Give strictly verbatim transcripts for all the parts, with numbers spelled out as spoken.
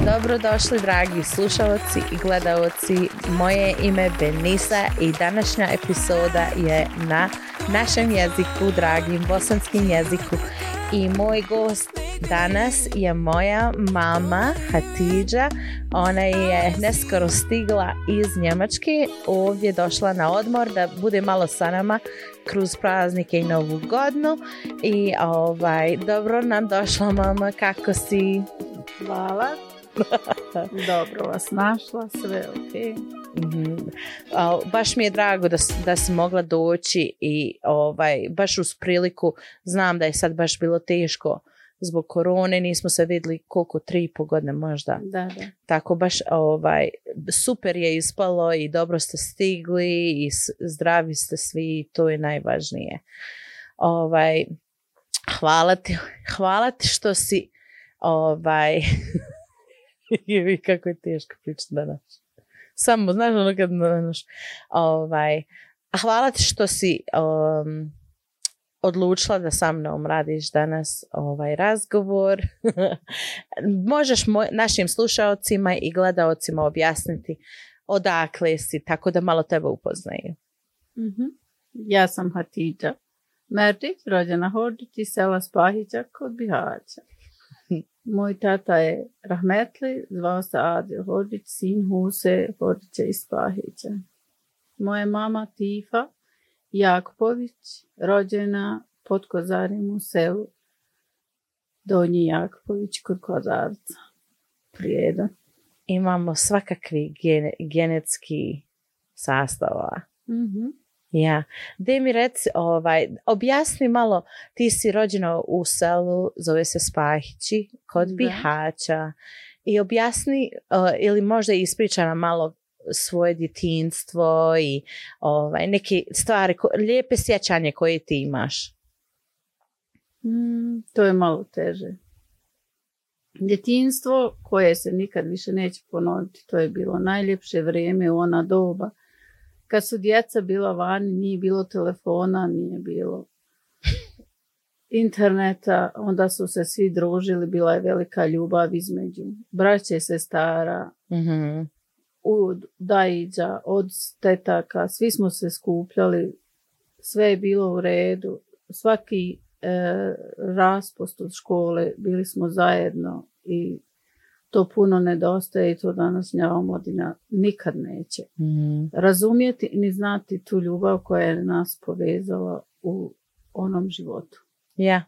Dobrodošli dragi slušalci i gledalci, moje ime je Benisa i današnja epizoda je na našem jeziku, dragim bosanskim jeziku, i moj gost danas je moja mama Hatidža. Ona je neskoro stigla iz Njemačke, ovdje došla na odmor da bude malo sa nama kroz praznike i novu godinu. I ovaj, dobro nam došla mama, kako si? Hvala. Dobro vas našla, sve ok. Mm-hmm. Uh, baš mi je drago da, da si mogla doći i ovaj, baš uz priliku, znam da je sad baš bilo teško zbog korone, nismo se vidjeli koliko, tri i po godine možda. Da, da. Tako baš ovaj, super je ispalo i dobro ste stigli i zdravi ste svi, to je najvažnije. Ovaj, hvala ti, hvala ti što si ovaj... I kako je teško pričati danas. Samo, znaš, ono kad znaš, ovaj, hvala ti što si um, odlučila da sa mnom radiš danas ovaj razgovor. Možeš moj, našim slušaocima i gledaocima objasniti odakle si, tako da malo tebe upoznaju. Mm-hmm. Ja sam Hatidža Merdić, rođena Hodžić iz sela Spahića kod Bihaća. Moj tata je rahmetli, zvao se Adil Hodžić, sin Huse Hodžića iz Spahića. Moja mama Tifa Jakupović, rođena pod Kozarim u selu Donji Jakupović kod Kozarca. Prijedan. Imamo svakakvi gene, genetski sastava. Mm-hmm. Ja, daj mi reci, ovaj, objasni malo, ti si rođena u selu, zove se Spahići, kod Bihaća, i objasni, uh, ili možda ispriča nam malo svoje djetinjstvo i ovaj, neke stvari, ko, lijepe sjećanje koje ti imaš. Mm, to je malo teže. Djetinjstvo koje se nikad više neće ponoviti, to je bilo najljepše vrijeme u ona doba. Kad su djeca bila vani, nije bilo telefona, nije bilo interneta, onda su se svi družili, bila je velika ljubav između braće, sestara, mm-hmm. od dajiđa, od tetaka, svi smo se skupljali, sve je bilo u redu, svaki e, raspust od škole, bili smo zajedno i to puno nedostaje i to današnja omladina nikad neće mm. razumjeti ni znati tu ljubav koja je nas povezala u onom životu. Ja,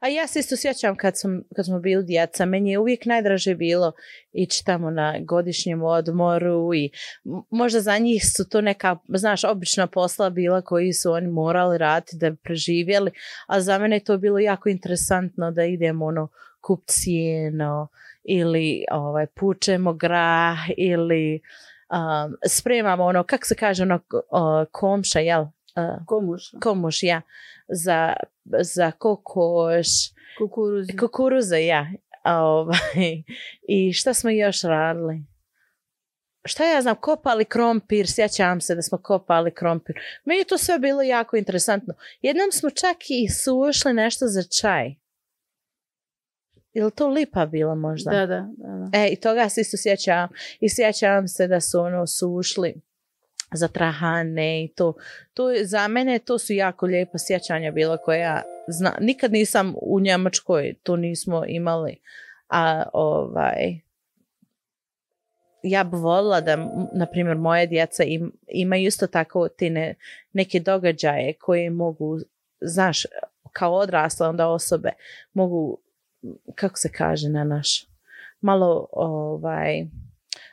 a ja se isto sjećam kad, sam, kad smo bili djeca, meni je uvijek najdraže bilo ići tamo na godišnjem odmoru i možda za njih su to neka, znaš, obična posla bila koji su oni morali raditi da bi preživjeli, a za mene je to bilo jako interesantno da idemo ono kup cijeno ili ovaj, pučemo grah ili um, spremamo ono, kako se kaže, ono uh, komša, jel? Uh, komuš. Komuš, ja. Za, za kokoš. Kukuruze. Kukuruze, ja. Ovaj, i šta smo još radili? Šta ja znam, kopali krompir, sjećam se da smo kopali krompir. Meni je to sve bilo jako interesantno. Jednom smo čak i sušli nešto za čaj. Je li to lipa bila možda? Da, da, da. E, i toga se isto sjećam. I sjećam se da su ono sušli za trahane i to. To za mene to su jako lijepa sjećanja bila koja zna. Nikad nisam u Njemačkoj, to nismo imali. A ovaj... ja bih voljela da, na primjer, moje djeca im, imaju isto tako te ne, neke događaje koje mogu, znaš, kao odrasle onda osobe, mogu, kako se kaže na naš, malo, ovaj,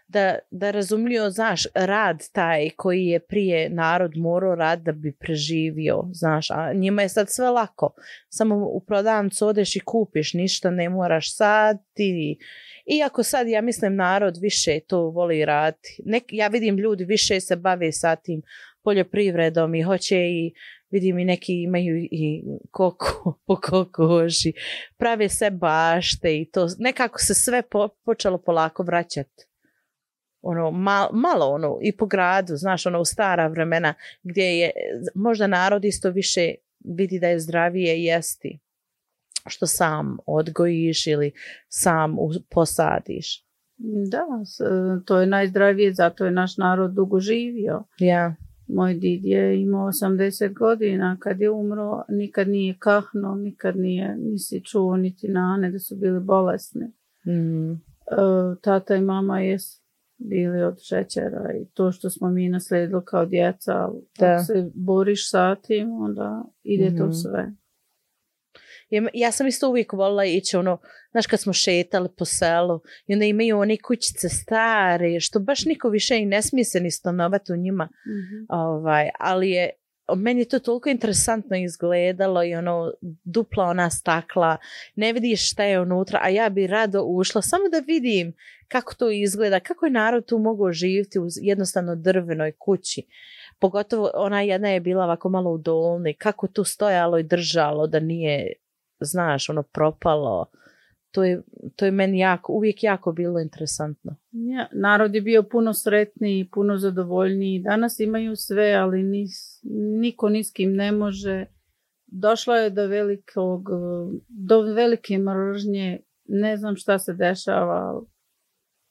da, da razumljuju, znaš, rad taj koji je prije narod morao rad da bi preživio, znaš, a njima je sad sve lako. Samo u prodavnicu odeš i kupiš, ništa ne moraš sad i iako sad, ja mislim, narod više to voli raditi. Nek, ja vidim ljudi više se bave sa tim poljoprivredom i hoće i vidim i neki imaju i koko, po kokoši, prave se bašte i to. Nekako se sve po, počelo polako vraćati ono, mal, malo ono, i po gradu, znaš, ono, u stara vremena, gdje je možda narod isto više vidi da je zdravije jesti, što sam odgojiš ili sam posadiš. Da, to je najzdravije, zato je naš narod dugo živio. Ja. Moj did je imao osamdeset godina, kad je umro, nikad nije kahno, nikad nije, nisi čuo niti nane da su bili bolesni. Mm. Tata i mama je bili od šećera i to što smo mi naslijedili kao djeca, ako se boriš sa tim, onda ide mm. to sve. Ja sam isto uvijek volila ići, ono, znaš, kad smo šetali po selu i onda imaju one kućice stare, što baš niko više i ne smije se ni stanovati u njima. Mm-hmm. Ovaj, ali je, meni je to toliko interesantno izgledalo i ono, dupla ona stakla, ne vidiš šta je unutra, a ja bi rado ušla samo da vidim kako to izgleda, kako je narod tu mogao živjeti u jednostavno drvenoj kući. Pogotovo ona jedna je bila ovako malo u dolni, kako tu stojalo i držalo da nije, znaš, ono, propalo. To je, to je meni jako, uvijek jako bilo interesantno. Ja, narod je bio puno sretniji, puno zadovoljniji. Danas imaju sve, ali nis, niko ni s kim ne može. Došlo je do velikog, do velike mržnje. Ne znam šta se dešava.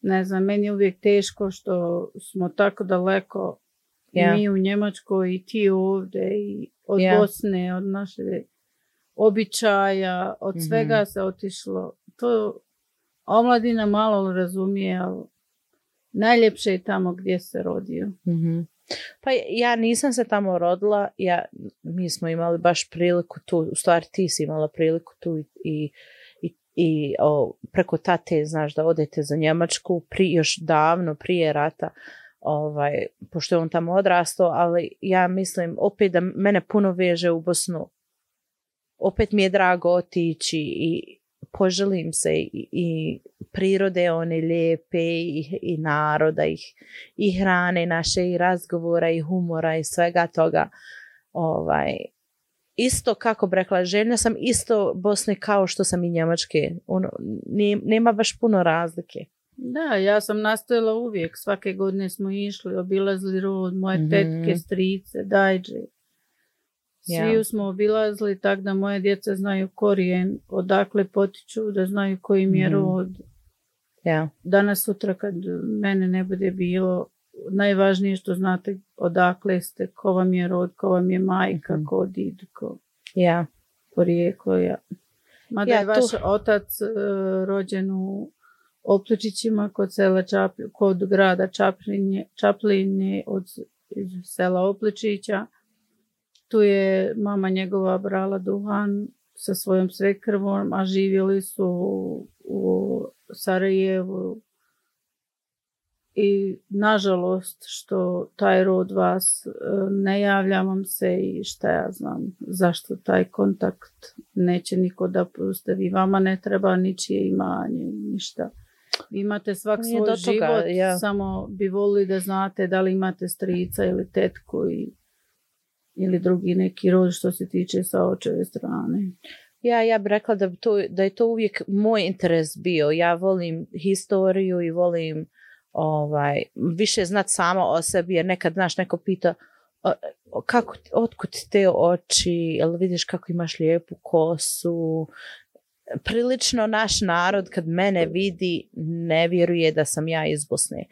Ne znam, meni je uvijek teško što smo tako daleko. Yeah. Mi u Njemačkoj i ti ovdje i od yeah. Bosne, od naše običaja, od mm-hmm. svega se otišlo. To omladina malo razumije, ali najljepše je tamo gdje se rodio. Mm-hmm. Pa ja nisam se tamo rodila, ja, mi smo imali baš priliku tu, u stvari ti si imala priliku tu i, i, i o, preko tate, znaš, da odete za Njemačku, pri, još davno prije rata, ovaj, pošto je on tamo odrastao, ali ja mislim opet da mene puno veže u Bosnu. Opet mi je drago otići i poželim se i, i prirode one lijepe i, i naroda ih, i hrane naše i razgovora i humora i svega toga. Ovaj, isto kako bi rekla, željna sam isto Bosne kao što sam i Njemačke. Ono, nema baš puno razlike. Da, ja sam nastojala uvijek. Svake godine smo išli, obilazili rod, moje mm-hmm. tetke, strice, dajđe. Svi yeah. smo obilazili tako da moje djeca znaju korijen, odakle potiču, da znaju koji mi je rod. Yeah. Danas sutra kad mene ne bude bilo, najvažnije što znate odakle ste, ko vam je rod, ko vam je majka, mm-hmm. ko did, ko yeah. porijeklo. Ja. Mada ja, je vaš tu... otac uh, rođen u Opličićima kod sela Čapl- kod grada Čaplinje, Čaplinje od iz sela Opličića. Tu je mama njegova brala duhan sa svojom svekrvom, a živjeli su u Sarajevu. I nažalost što taj rod vas ne javlja vam se i šta ja znam zašto taj kontakt neće niko da pustavi. Vama ne treba ničije imanje, ništa. Vi imate svak svoj toga, život, ja. Samo bi volili da znate da li imate strica ili tetku i, ili drugi neki rod što se tiče sa očeve strane. Ja, ja bih rekla da, to, da je to uvijek moj interes bio. Ja volim historiju i volim ovaj, više znati sama o sebi, jer nekad, znaš, neko pita kako, otkud te oči, jel vidiš kako imaš lijepu kosu. Prilično naš narod kad mene vidi ne vjeruje da sam ja iz Bosne.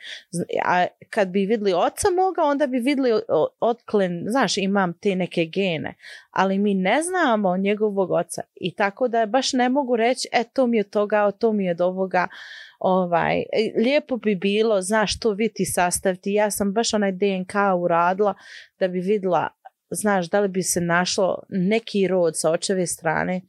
A kad bi vidjeli oca moga, onda bi vidjeli otklen, znaš, imam te neke gene, ali mi ne znamo njegovog oca i tako da baš ne mogu reći e to mi je toga, to mi je od ovoga. Ovaj, lijepo bi bilo, znaš, to vidjeti sastaviti. Ja sam baš onaj D N K uradila da bi vidjela, znaš, da li bi se našlo neki rod sa očeve strane.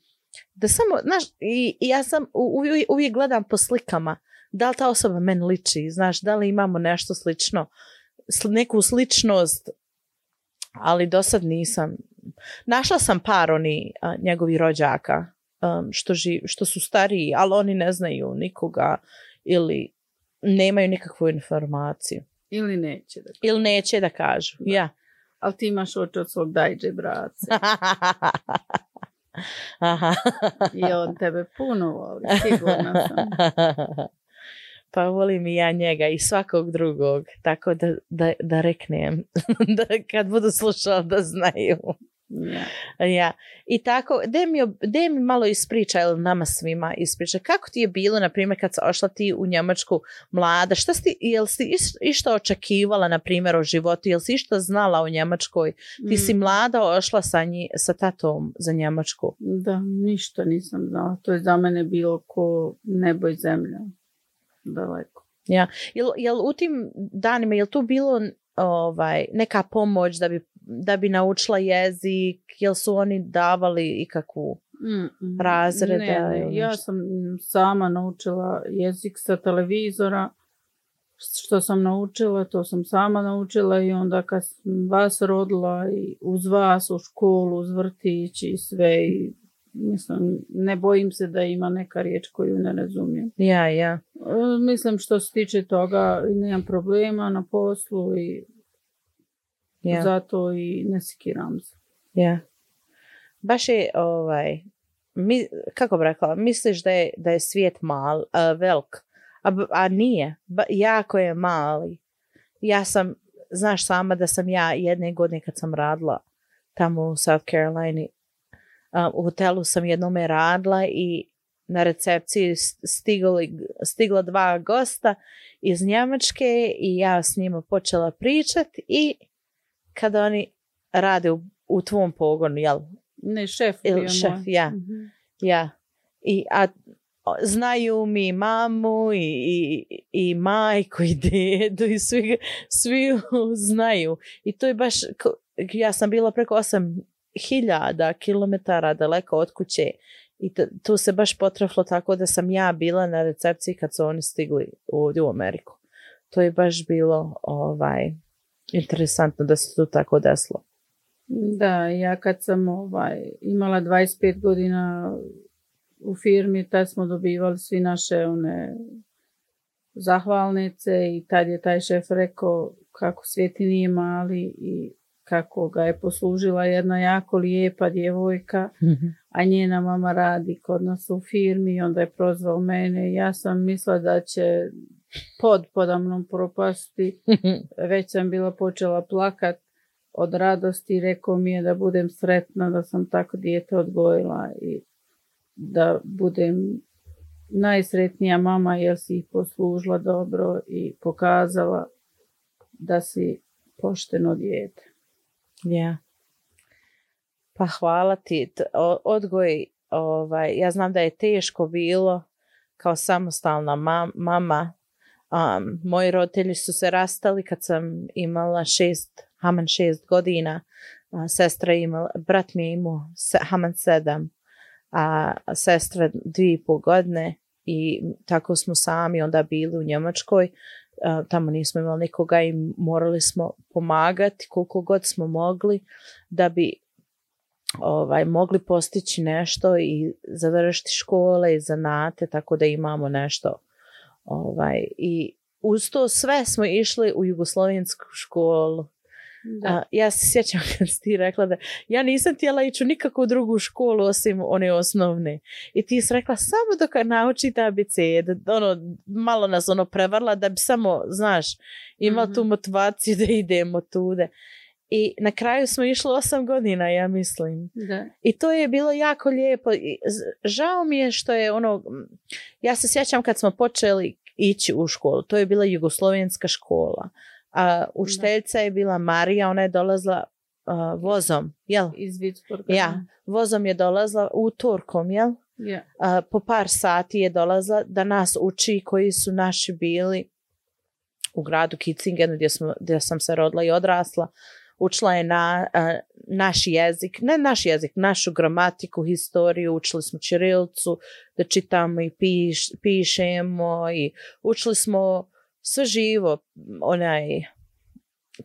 Da samo, znaš, i, i ja sam uvijek, uvijek gledam po slikama, da li ta osoba meni liči, znaš, da li imamo nešto slično, sl, neku sličnost, ali do sad nisam. Našla sam par oni a, njegovi rođaka, um, što, živ, što su stariji, ali oni ne znaju nikoga ili nemaju nikakvu informaciju. Ili neće da kažu. Ili neće da kažu, da. Ja. Ali ti imaš oči od svog dajđe, brace. Aha. I on tebe puno voli, sigurno sam. Pa volim i ja njega i svakog drugog, tako da, da, da reknem, da kad budu slušali da znaju. Ja. Ja. I tako, de mi, de mi malo ispriča, ili nama svima ispriča, kako ti je bilo, na primjer, kad si ošla ti u Njemačku mlada, šta si, jel si išta očekivala, na primjer, o životu, jel si išta znala o Njemačkoj, ti mm. si mlada ošla sa, nji, sa tatom za Njemačku? Da, ništa nisam znala, to je za mene bilo ko nebo i zemlja, daleko. Ja, jel, jel u tim danima, jel tu bilo ovaj, neka pomoć da bi da bi naučila jezik, jel su oni davali ikakvu Mm-mm. razreda? Ne, ne, ja sam sama naučila jezik sa televizora, što sam naučila, to sam sama naučila i onda kad sam vas rodila i uz vas u školu, uz vrtić i sve i mislim, ne bojim se da ima neka riječ koju ne razumijem. Ja, ja. Mislim što se tiče toga nemam problema na poslu i yeah. zato i ne sikiram se. Ja. Baš je, ovaj, mi, kako bi rekla, misliš da je, da je svijet mal, uh, velik, a, a nije, ba, jako je mali. Ja sam, znaš sama da sam ja jedne godine kad sam radila tamo u South Carolina, uh, u hotelu sam jednome radila i na recepciji stigli, stigla dva gosta iz Njemačke i ja s njima počela pričati i kada oni rade u, u tvom pogonu, jel? Ne, šef. Il, šef, ja. Mm-hmm. Ja. I, a znaju mi mamu i, i, i majku i dedu i svi, svi znaju. I to je baš, ja sam bila preko osam hiljada kilometara daleko od kuće i to, to se baš potrefilo tako da sam ja bila na recepciji kad su oni stigli ovdje u Ameriku. To je baš bilo ovaj, interesantno da se to tako desilo. Da, ja kad sam ovaj, imala dvadeset pet godina u firmi, tad smo dobivali svi naše one zahvalnice i tad je taj šef rekao kako svijet nije mali i kako ga je poslužila jedna jako lijepa djevojka, mm-hmm. a njena mama radi kod nas u firmi i onda je prozvao mene. Ja sam mislila da će pod podamnom propasti, već sam bila počela plakat od radosti i rekao mi je da budem sretna da sam tako dijete odgojila i da budem najsretnija mama jer si ih poslužila dobro i pokazala da si pošteno dijete. Ja. Pa hvala ti. Odgoj, ovaj, ja znam da je teško bilo kao samostalna mam, mama. Um, moji roditelji su se rastali kad sam imala šest, haman šest godina. A sestra imala, brat mi je imao se, haman sedam, a sestra dvije i pol godine i tako smo sami onda bili u Njemačkoj. Uh, tamo nismo imali nikoga i morali smo pomagati koliko god smo mogli da bi ovaj, mogli postići nešto i završiti škole i zanate tako da imamo nešto. Ovaj, i uz to sve smo išli u jugoslovensku školu. Da. Uh, ja se sjećam kad si ti rekla da ja nisam htjela ići u nikakvu drugu školu osim one osnovne. I ti si rekla samo dok naučite A B C, da, ono, malo nas ono prevarla da bi samo, znaš, imala mm-hmm. tu motivaciju da idemo tude. I na kraju smo išli osam godina, ja mislim. Da. I to je bilo jako lijepo. Žao mi je što je ono, ja se sjećam kad smo počeli ići u školu, to je bila jugoslovenska škola. A učiteljica je bila Marija, ona je dolazila uh, vozom, jel? Iz Vicksburga. Ja, vozom je dolazila utorkom, jel? Yeah. Uh, po par sati je dolazila da nas uči koji su naši bili u gradu Kitzingenu gdje, smo, gdje sam se rodila i odrasla. Učila je na, uh, naš jezik, ne naš jezik, našu gramatiku, historiju, učili smo ćirilicu, da čitamo i piš, pišemo i učili smo sve živo, onaj,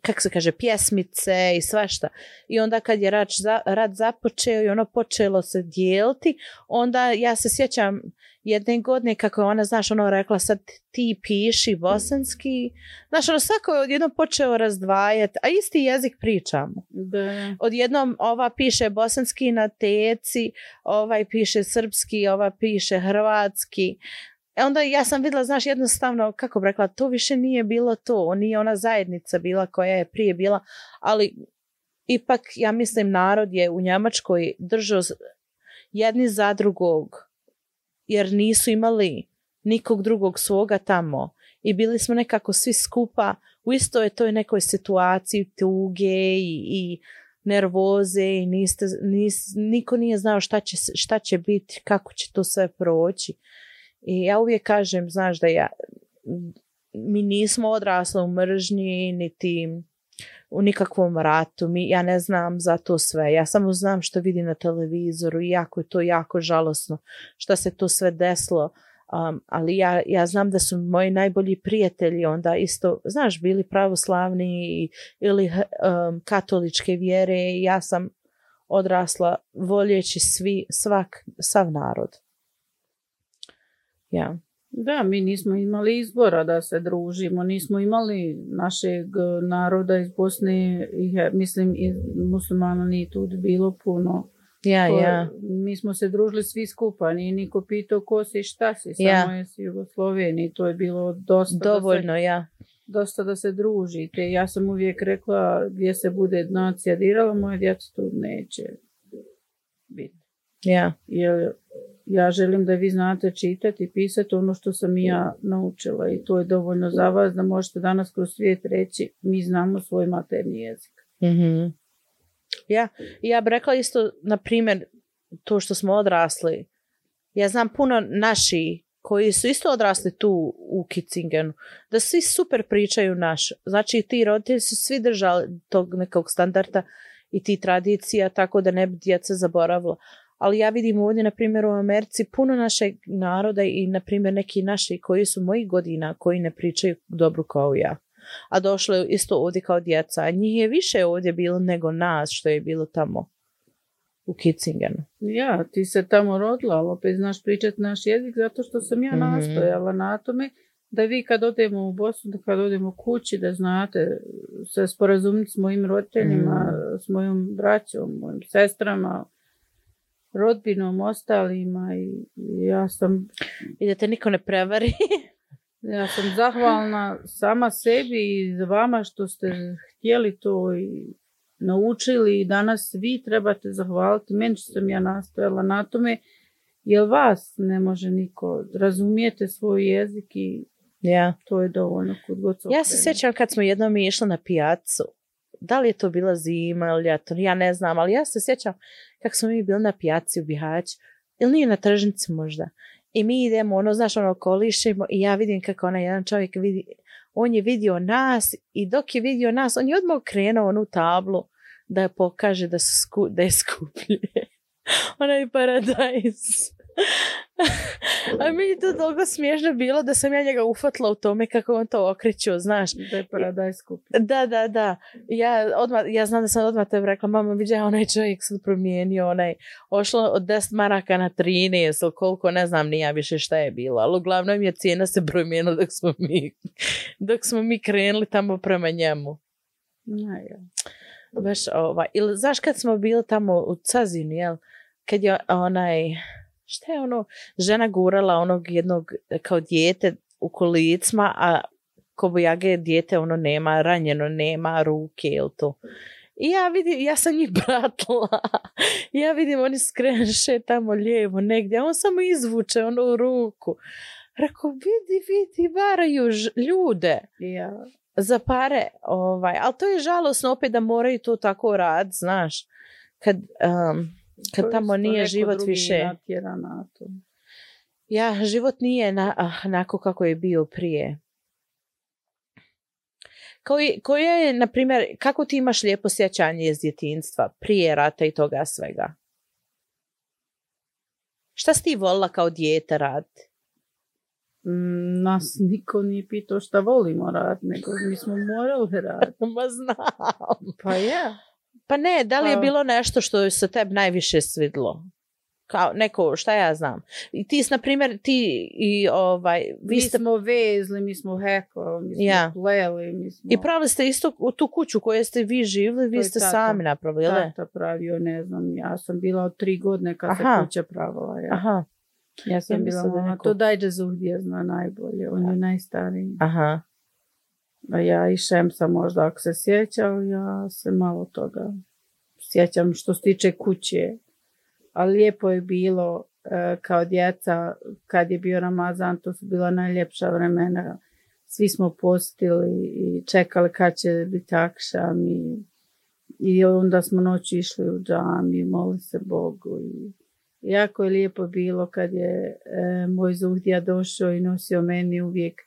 kako se kaže, pjesmice i svašta. I onda kad je rad, rad započeo i ono počelo se dijeliti, onda ja se sjećam jedne godine kako je ona, znaš, ono rekla sad ti piši bosanski. Znaš, ono svako je odjednom počeo razdvajati, a isti jezik pričamo. Da. Odjednom ova piše bosanski na teci, ovaj piše srpski, ova piše hrvatski. E onda ja sam vidjela, znaš, jednostavno, kako bi rekla, to više nije bilo to, nije ona zajednica bila koja je prije bila, ali ipak, ja mislim, narod je u Njemačkoj držao jedni za drugog, jer nisu imali nikog drugog svoga tamo i bili smo nekako svi skupa u istoj toj nekoj situaciji tuge i, i nervoze i niste, nis, niko nije znao šta će, šta će biti, kako će to sve proći. I ja uvijek kažem, znaš, da ja, mi nismo odrasli u mržnji, niti u nikakvom ratu. Mi, ja ne znam za to sve. Ja samo znam što vidim na televizoru i jako je to jako žalosno što se to sve desilo. Um, ali ja, ja znam da su moji najbolji prijatelji onda isto, znaš, bili pravoslavni ili um, katoličke vjere i ja sam odrasla voljeći svi, svak, sav narod. Ja. Da, mi nismo imali izbora da se družimo, nismo imali našeg naroda iz Bosne, i, mislim, i muslimana nije tu bilo puno. Ja, ko, ja. Mi smo se družili svi skupa, nije niko pitao ko si i šta si, samo ja. je si Jugosloveniji, to je bilo dosta dovoljno, da se, ja. dosta da se družite. Ja sam uvijek rekla, gdje se bude nacija dirala, moje djeca tu neće biti. Ja. Jer ja želim da vi znate čitati i pisati ono što sam i ja naučila i to je dovoljno za vas da možete danas kroz svijet reći mi znamo svoj materni jezik. Mhm. Ja, ja bih rekla isto, na primjer, to što smo odrasli. Ja znam puno naši koji su isto odrasli tu u Kitzingenu, da svi super pričaju naš. Znači, ti roditelji su svi držali tog nekog standarda i ti tradicija, tako da ne bi djeca zaboravila. Ali ja vidim ovdje, na primjer, u Americi puno našeg naroda i, na primjer, neki naši koji su mojih godina, koji ne pričaju dobro kao ja. A došlo je isto ovdje kao djeca. A njih je više ovdje bilo nego nas što je bilo tamo u Kitzingenu. Ja, ti se tamo rodila, ali opet znaš pričati naš jezik zato što sam ja mm-hmm. nastojala na tome da vi kad odemo u Bosnu, da kad odemo kući, da znate se sporazumiti s mojim roditeljima, mm. s mojom braćom, mojim sestrama, rodbinom, ostalima i ja sam... I da te niko ne prevari. Ja sam zahvalna sama sebi i za vama što ste htjeli to i naučili i danas vi trebate zahvaliti meni što sam ja nastojala na tome, jer vas ne može niko, razumijete svoj jezik i yeah. to je dovoljno kod god. Ja se sjećam kad smo jednom išli na pijacu, da li je to bila zima ili ljeto, ja ne znam, ali ja se sjećam kako smo mi bili na pijaci u Bihaću, ili nije na tržnici možda. I mi idemo, ono, znaš, ono, kolišimo i ja vidim kako onaj jedan čovjek vidi, on je vidio nas i dok je vidio nas, on je odmah krenuo onu tablu da pokaže da, su sku, da je skuplje. Onaj paradajz. A mi je to toliko smiješno bilo da sam ja njega ufatila u tome kako on to okrećio, znaš. Da je paradajz skuplje. Da, da, da. Ja, odmah, ja znam da sam odmah tebi rekla, mama, viđa, onaj čovjek sad promijenio, onaj, ošlo od deset maraka na trinaest, ili koliko, ne znam ni ja više šta je bilo, ali uglavnom je cijena se promijenila dok smo mi, dok smo mi krenuli tamo prema njemu. Ja, ja. Baš ovaj, ili znaš kad smo bili tamo u Cazini, jel, kad je onaj, šta je ono, žena gurala onog jednog kao dijete u kolicima, a kobojage dijete ono nema, ranjeno nema ruke ili to. I ja vidim, ja sam njih pratila. Ja vidim, oni skrenše tamo lijevo negdje, a on samo izvuče onu ruku. Rekao, vidi, vidi, varaju ljude. Ja. Za pare, ovaj, ali to je žalosno opet da moraju to tako rad, znaš, kad, um, kad tamo nije život više. Ja, život nije na, onako kako je bio prije. Koji, koja je, na primjer, kako ti imaš lijepo sjećanje iz djetinjstva, prije rata i toga svega? Šta si ti volila kao dijete raditi? Nas niko nije pitao šta volimo raditi, nego mi smo morali raditi. Ma znam. Pa je. Pa ne, da li je bilo nešto što se tebi najviše svidlo? Kao neko, šta ja znam. I ti, na primjer, ti i ovaj... Vi mi ste... smo vezli, mi smo hekali, mi smo ja. pleli, mi smo... I pravili ste isto u tu kuću koju ste vi živjeli, vi ste tata, sami napravili, tata pravio, ne znam, ja sam bila od tri godine kad Aha. se kuća pravila. Ja. Aha. Ja sam Ja bila mislim da mama. neko- To Dajđa Zuhdija zna najbolje. On je najstariji. Aha. A ja i Šemsa možda ako se sjećao, ja se malo toga sjećam što se tiče kuće. Ali lijepo je bilo e, kao djeca, kad je bio Ramazan, to su bila najljepša vremena. Svi smo postili i čekali kad će biti akšam i, i onda smo noći išli u džami, molili se Bogu. I jako je lijepo bilo kad je e, moj Zuhdija došao i nosio meni uvijek,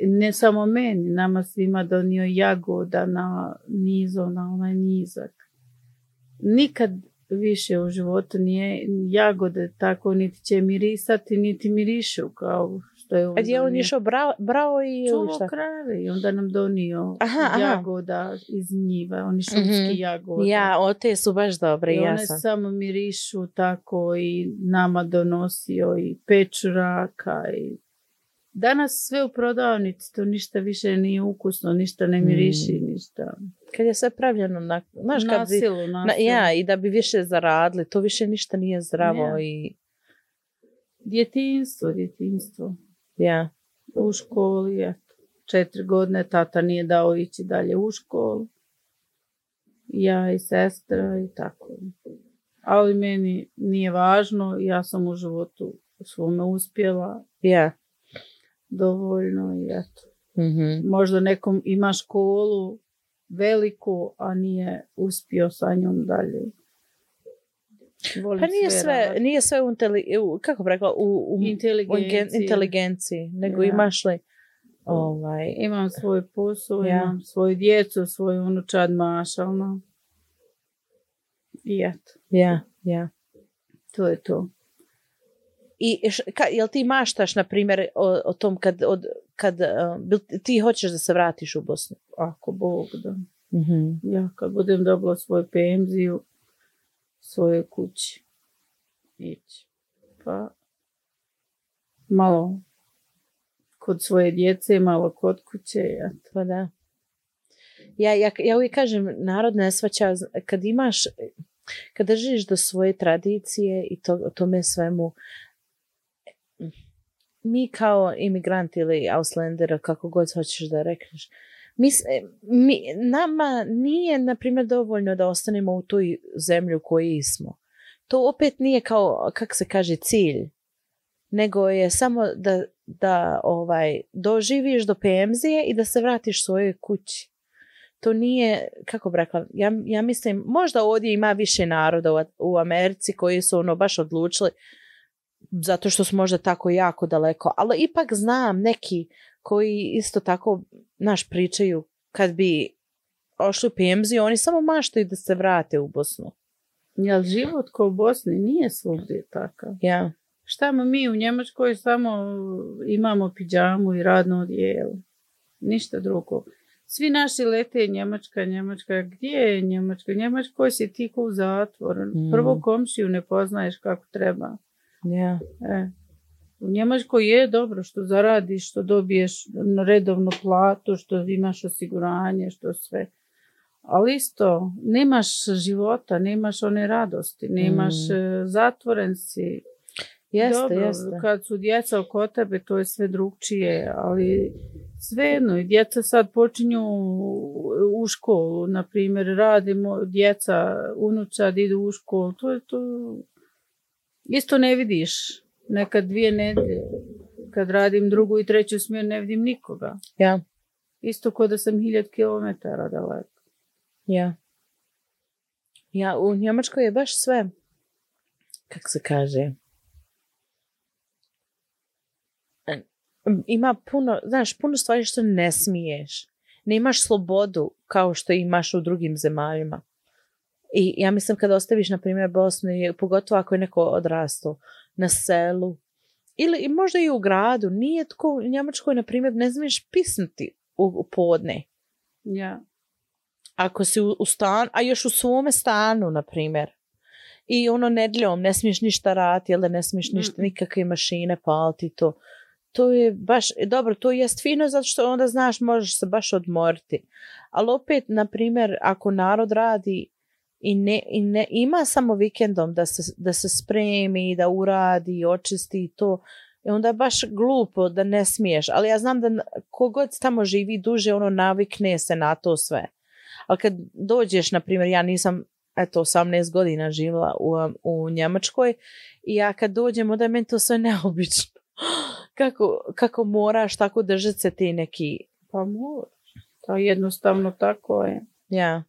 ne samo meni, nama svima donio jagoda na nizo, na onaj nizak. Nikad više u životu nije jagode tako niti će mirisati, niti mirišu kao što je on A gdje je on donio. išao brao, brao i ili Čuvo šta? krave i onda nam donio Aha, aha. jagoda iz njiva, oni šumski Mhm. jagoda. Ja, o te su baš dobre, I ja one sam. samo mirišu tako i nama donosio i pečuraka i danas sve u prodavnici, to ništa više nije ukusno, ništa ne miriši, Mm. ništa. Kad je sve pravljeno na, znaš, kad Na bi, silu, na na, silu. ja, i da bi više zaradili, to više ništa nije zdravo Ja. i Djetinjstvo, djetinjstvo. ja. U školi, eto. Četiri godine tata nije dao ići dalje u školu. Ja i sestra i tako. Ali meni nije važno, ja sam u životu svome uspjela Ja. dovoljno i eto. Mhm. Možda nekom ima školu veliku, a nije uspio sa njom dalje. Volim Pa nije sve, raditi. nije sve u, inteli, u kako bi rekla, u, u, u Inteligenciji. gen- inteligenciji, nego Ja. imaš li ovaj, Imam svoj posao, Ja. imam svoju djecu, svoju unučad mašalno. I eto, ja, ja. to je to. I š, ka, jel ti maštaš, na primjer, o, o tom kad, od, kad uh, bil, ti hoćeš da se vratiš u Bosnu? Ako Bog da. Mhm. Ja kad budem dobila svoju penziju, svoje kući, ići. Pa malo kod svoje djece, malo kod kuće. Eto. Pa da. Ja, ja, ja uvijek kažem, narod ne shvaća, kad imaš, kad držiš do svoje tradicije i to, tome svemu, mi kao imigranti ili Ausländer, kako god hoćeš da rekneš, mi, s- mi, nama nije, na primjer, dovoljno da ostanemo u toj zemlji u kojoj smo. To opet nije kao, kak se kaže, cilj, nego je samo da, da ovaj, doživiš do penzije i da se vratiš svojoj kući. To nije, kako bi rekla, ja, ja mislim, možda ovdje ima više naroda u, u Americi koji su ono baš odlučili zato što su možda tako jako daleko, ali ipak znam neki koji isto tako, naš, pričaju kad bi ošli u penziju, oni samo maštaju da se vrate u Bosnu. Jel život ko u Bosni nije svugdje takav? Ja. Šta mi u Njemačkoj samo imamo pidžamu i radno odijelo. Ništa drugo. Svi naši lete Njemačka, Njemačka. Gdje je Njemačka? Njemačkoj si ti ko u zatvor. Mm. Prvo komšiju ne poznaješ kako treba. Ja. E. U Njemačkoj je dobro što zaradiš, što dobiješ redovnu platu, što imaš osiguranje, što sve. Ali isto, nemaš života, nemaš one radosti, nemaš Mm. zatvoren si. Jeste, Dobro, jeste. kad su djeca oko tebe, to je sve drugčije, ali svejedno, i djeca sad počinju u školu, na primjer, radimo, djeca, unučad idu u školu, to je to, isto ne vidiš, nekad dvije nedelje, kad radim drugu i treću smjeru ne vidim nikoga, Ja. isto kao da sam hiljad kilometara daleko. Ja. Ja, u Njemačkoj je baš sve, kako se kaže, ima puno, znaš, puno stvari što ne smiješ. Ne imaš slobodu kao što imaš u drugim zemaljima. I ja mislim kada ostaviš, na primjer, Bosnu, i pogotovo ako je neko odrastao na selu, ili i možda i u gradu, nije tko u Njemačkoj, na primjer, ne smiješ pisnuti u, u podne. Ja. Ako si u, u stan, a još u svome stanu, na primjer. I ono nedjeljom ne smiješ ništa raditi, jel da ne smiješ ništa, Mm. nikakve mašine paliti, to. To je baš, dobro, to jest fino zato što onda znaš, možeš se baš odmoriti. Ali opet, na primjer, ako narod radi I, ne, i ne, ima samo vikendom da se, da se spremi, da uradi, očisti i to. I onda je baš glupo da ne smiješ. Ali ja znam da kogod tamo živi duže, ono navikne se na to sve. Ali kad dođeš, na primjer, ja nisam eto, osamnaest godina živjela u, u Njemačkoj i ja kad dođem, onda je meni to sve neobično. Kako, kako moraš tako držati se ti neki... Pa moraš. To jednostavno tako je. Ja.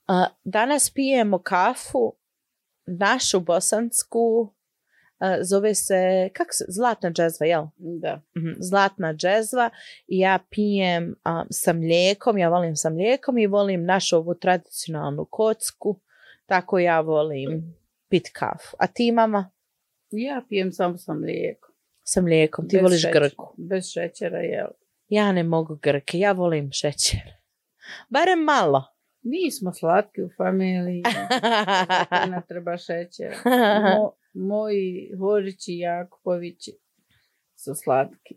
A, danas pijemo kafu, našu bosansku, a, zove se, kako se, Zlatna džezva, jel? Da. Mhm, Zlatna džezva i ja pijem a, sa mlijekom, ja volim sa mlijekom i volim našu ovu tradicionalnu kocku, tako ja volim pit kafu. A ti, mama? Ja pijem samo sa mlijekom. Sa mlijekom, ti Bez voliš šećera. grku. Bez šećera, jel? Ja ne mogu grke, ja volim šećer. Barem malo. Mi smo slatki u familiji. Zato ne treba šećera. Mo, moji Horići i Jakupovići su slatki.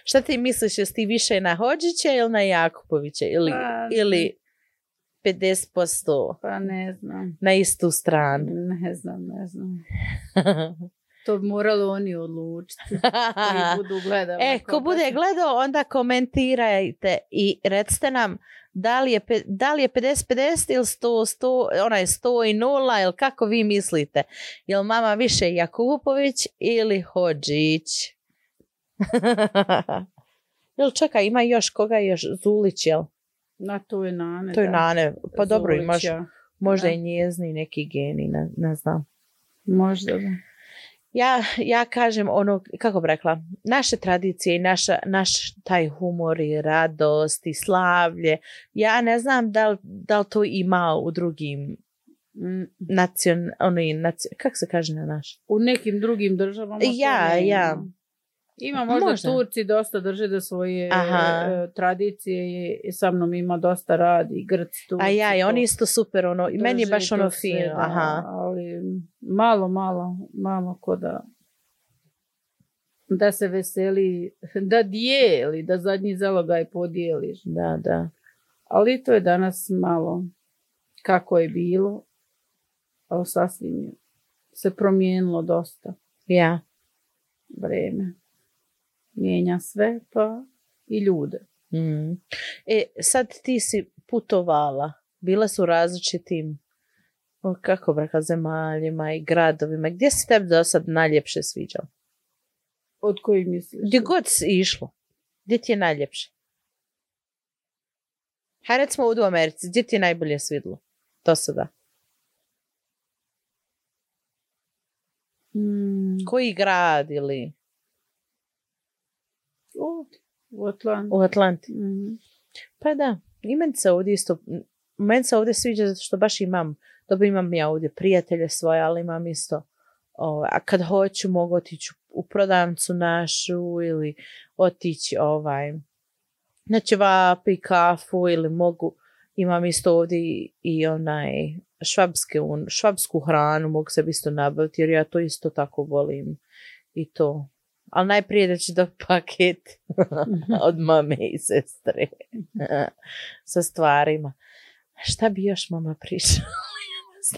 Šta ti misliš, jesi ti više na Hodžića ili na Jakupovića? Ili, Pa, ili pedeset posto Pa ne znam. na istu stranu? Ne znam, ne znam. To bi morali oni odlučiti. Koji budu gledali. E, ko bude gledao, onda komentirajte i recite nam da li je, da li je pedeset pedeset ili sto sto, onaj sto i nula, ili kako vi mislite? Jel mama više Jakupović ili Hodžić? Jel čekaj, ima još koga još? Zulić, jel? Na to je Nane. To je da. Nane. Pa dobro, Zulić, imaš ja. možda Da. i njezni neki geni, ne, ne znam. Možda da. Ja, ja kažem ono, kako bi rekla, naše tradicije i naša, naš taj humor i radost i slavlje, ja ne znam da li, da li to ima u drugim Mm. nacion, oni, nacion, kako se kaže na naš? U nekim drugim državama to Ja, nema. ja. Ima možda, Možda. Turci dosta drže da svoje Aha. e, tradicije i, i sa mnom ima dosta radi, Grci, Turci. A ja, i to oni isto super, ono, i meni je drže baš to ono sve, fino, da, aha. ali malo, malo, malo ko da da se veseli, da dijeli, da zadnji zalogaj podijeliš. Da, da. Ali to je danas malo kako je bilo, ali sasvim je se promijenilo dosta Ja. vreme. Mijenja sve, pa i ljude. Mm. E, sad ti si putovala, bila su u različitim, o, kako bi rekla, zemaljima i gradovima. Gdje si tebi do sad najljepše sviđalo? Od koji misliš? Gdje god si išlo, gdje ti je najljepše? Hajde recimo ovdje u Americi, gdje ti je najbolje svidlo? Do sada. Mm, Koji grad ili ovdje, u Atlanti. u Atlanti? Mhm. Pa da, i meni se ovdje isto, meni se ovdje sviđa zato što baš imam, dobro imam ja ovdje prijatelje svoje, ali imam isto, o, a kad hoću mogu otići u prodavnicu našu ili otići ovaj, na ćevapi, kafu ili mogu, imam isto ovdje i, i onaj švabske, un, švabsku hranu mogu se isto nabaviti jer ja to isto tako volim i to. Ali najprije da ću da paket od mame i sestre sa stvarima. Šta bi još mama pričala?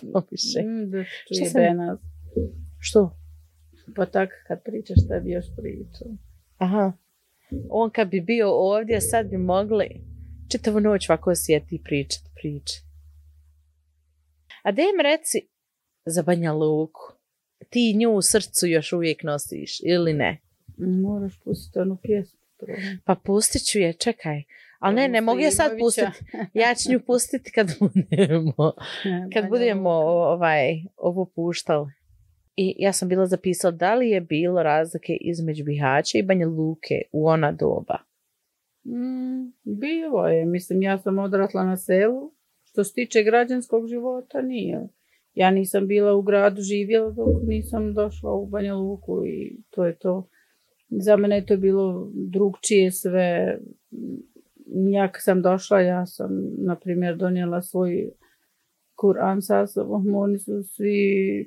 Ja više. Mm, da Šta čuje sam- Benaz. Što? Pa tako kad pričaš šta bi još pričao. Aha. On kad bi bio ovdje, sad bi mogli čitavu noć ovako sjeti i pričat priče. A da im reci za Banja Luku. Ti nju u srcu još uvijek nosiš ili ne? Moraš pustiti onu pjesmu. prvo. Pa pustit ću je, čekaj. Ali ne, ne mogu je sad Muslimovića. pustiti. Ja ću nju pustiti kad budemo, kad Banja budemo Luka. ovaj, ovo puštali. I ja sam bila zapisala da li je bilo razlike između Bihaća i Banja Luke u ona doba. Mm, bilo je. Mislim, ja sam odrasla na selu. Što se tiče građanskog života, nije. Ja nisam bila u gradu živjela dok nisam došla u Banja Luku i to je to. Za mene je to bilo drugčije sve. Ja kad sam došla, ja sam, na primjer, donijela svoj Kur'an sa sobom. Oni su svi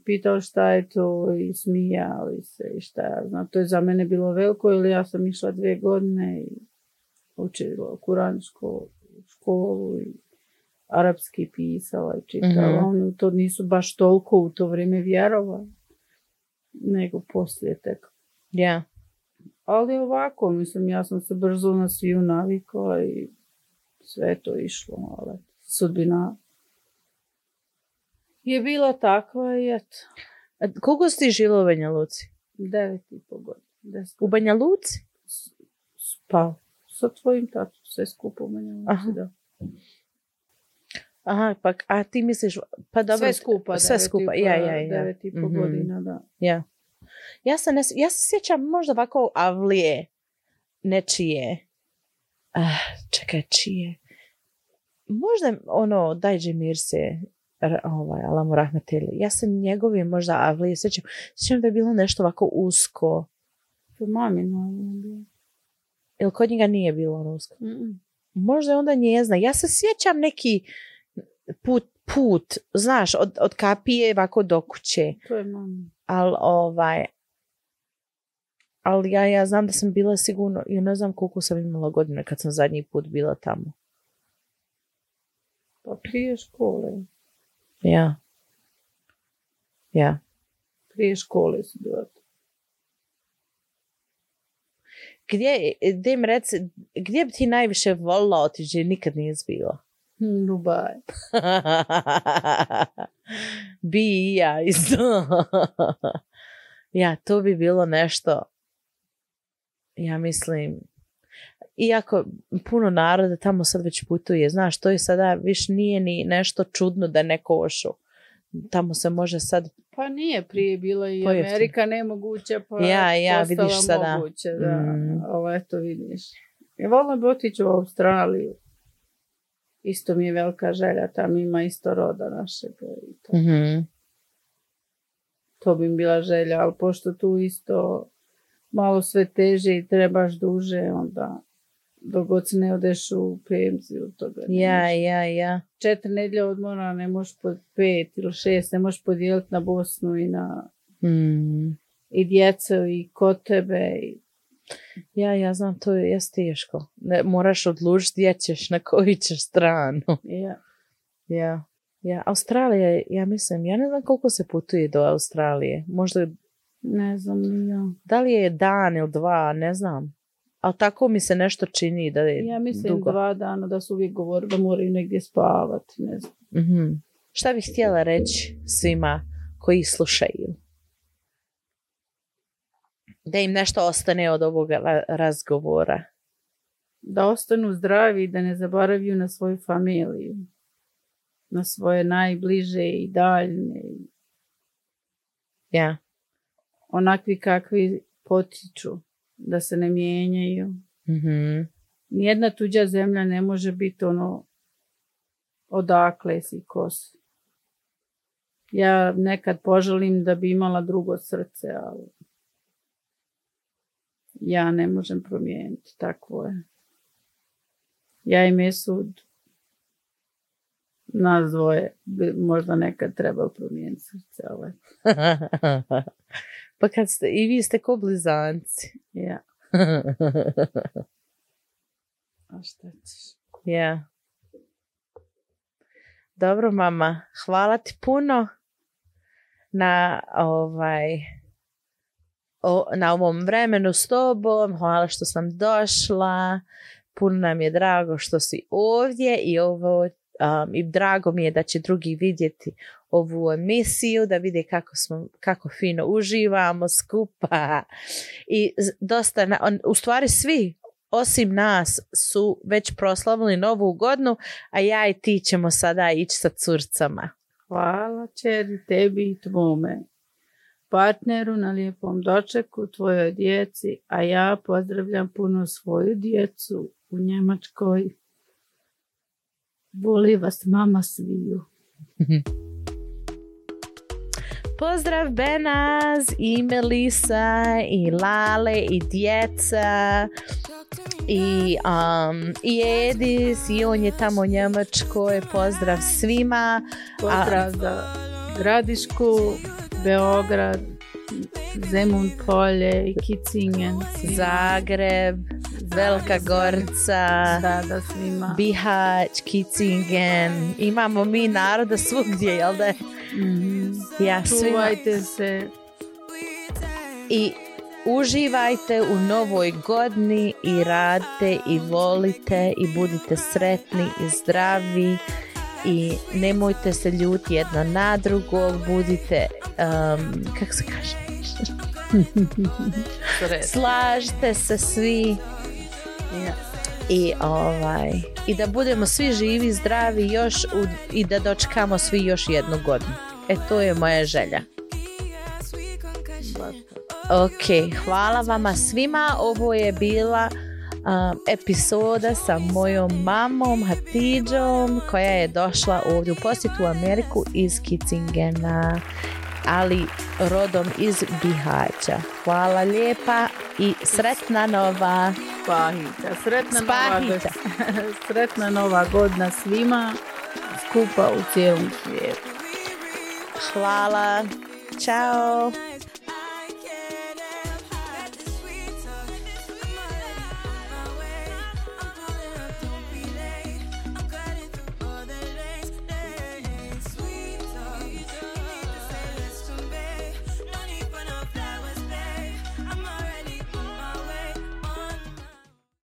pitali šta je to i smijali se i šta ja znam. To je za mene bilo veliko, jer ja sam išla dvije godine i učila Kur'ansku školu i arapski pisala i čitala. Mhm. Oni to nisu baš toliko u to vrijeme vjerovali, nego poslije tek. Ja. Ali ovako, mislim, ja sam se brzo na sviju navikla i sve je to išlo, ali sudbina je bila takva i eto. A koliko si ti živjela u Banja Luci? Devet i po godina. Deset. U Banja Luci? Pa, sa tvojim tatom, sve skupo u Banja Luci, Aha. da. Aha, pa a ti misliš, pa dobro. Sve skupa, sve devet skupa, i po, ja, ja, ja. Devet i po Mhm. godina, da. Ja. Ja se, ne, ja se sjećam možda ovako avlije nečije. Ah, čekaj, čije. Možda ono, Dajđe Mirse, r- ovaj, Alamu Rahmeteli. Ja se njegove možda avlije sjećam. Sjećam da je bilo nešto ovako usko. To mamino je bilo. Ili kod njega nije bilo ono usko? Mm-mm. Možda je onda njezna. Ja se sjećam neki put, put znaš, od, od kapije ovako do kuće. To je mama. Ali ovaj, ali ja, ja znam da sam bila sigurno, ja ne znam koliko sam imala godina kad sam zadnji put bila tamo. Pa prije škole. Ja. Ja. Prije škole su bila. Gdje, gdje mi reci, gdje bi ti najviše volila otići, nikad nisi bila? Hmm, Dubaj. Bi i ja isto. Ja, to bi bilo nešto, ja mislim, iako puno naroda tamo sad već putuje, znaš, to je sada više nije ni nešto čudno da neko ošu. Tamo se može sad, Pa nije prije bila i Pojeftino. Amerika nemoguće, pa Ja, ja, postala vidiš sada. moguće, da. Mm. Ali eto vidiš. Ja volim bi otići u Australiju. Isto mi je velika želja, tam ima isto roda našeg. I to. mhm, To bi mi bila želja, ali pošto tu isto malo sve teže i trebaš duže, onda dok god se ne odeš u penziju, toga ne ja, možeš. ja, ja. Četiri nedjelje odmora ne možeš pod pet ili šest, ne možeš podijeliti na Bosnu i na Mm. i djecu i kod tebe. I... Ja, ja znam, to je jest teško. Ne, moraš odlučiti gdje ćeš, na koju ćeš stranu. Ja. Ja, ja. Australija, je, ja mislim, ja ne znam koliko se putuje do Australije. Možda, Ne znam ni ja. da li je dan ili dva, ne znam. Ali tako mi se nešto čini da je Ja mislim dugo. dva dana da su uvijek govorili da moraju negdje spavati. Ne znam. Mhm. Šta bih htjela reći svima koji slušaju? Da im nešto ostane od ovog ra- razgovora. Da ostanu zdravi i da ne zaboraviju na svoju familiju. Na svoje najbliže i daljne. Ja. Onakvi kakvi potiču. Da se ne mijenjaju. Mhm. Nijedna tuđa zemlja ne može biti ono odakle si ko si. Ja nekad poželim da bi imala drugo srce, ali ja ne možem promijeniti, takvo je. Ja i Mesud, nas dvoje, bi možda nekad trebalo promijeniti srce, ali Pa kad ste, i vi ste ko blizanci. ja. A šta ćeš? Ja. Dobro, mama. Hvala ti puno na ovaj o, na ovom vremenu s tobom. Hvala što sam došla. Puno nam je drago što si ovdje i ovo um, i drago mi je da će drugi vidjeti ovu emisiju, da vide kako smo, kako fino uživamo skupa. I z- dosta, na, on, u stvari svi osim nas su već proslavili novu godinu, a ja i ti ćemo sada ići sa curcama. Hvala čeri tebi i tvome partneru na lijepom dočeku, tvojoj djeci, a ja pozdravljam puno svoju djecu u Njemačkoj. Voli vas mama sviju. Pozdrav Benaz i Melisa i Lale i djeca i, um, i Edis i on je tamo u Njemačkoj. Pozdrav svima. Pozdrav za Gradišku, Beograd, Zemun polje i Kicingen, Zagreb, Velika Gorica, Da, da, svima. Bihać, Kicingen. Imamo mi naroda svugdje, jel da je? Mm-hmm. Ja, svima. Čuvajte se. I uživajte u novoj godini i radite i volite i budite sretni i zdravi i nemojte se ljuti jedno na drugog, budite, um, kako se kaže? Slažite se svi. Yeah. I, ovaj, i da budemo svi živi, zdravi još u, i da dočekamo svi još jednu godinu. E, to je moja želja. Ok, hvala vama svima. Ovo je bila um, epizoda sa mojom mamom Hatidžom koja je došla ovdje u posjetu u Ameriku iz Kicingena, ali rodom iz Bihaća. Hvala lijepa i sretna nova Spahića. Sretna Spahića. nova, sretna nova godina svima skupa u cijelom svijetu. Hvala. Ćao.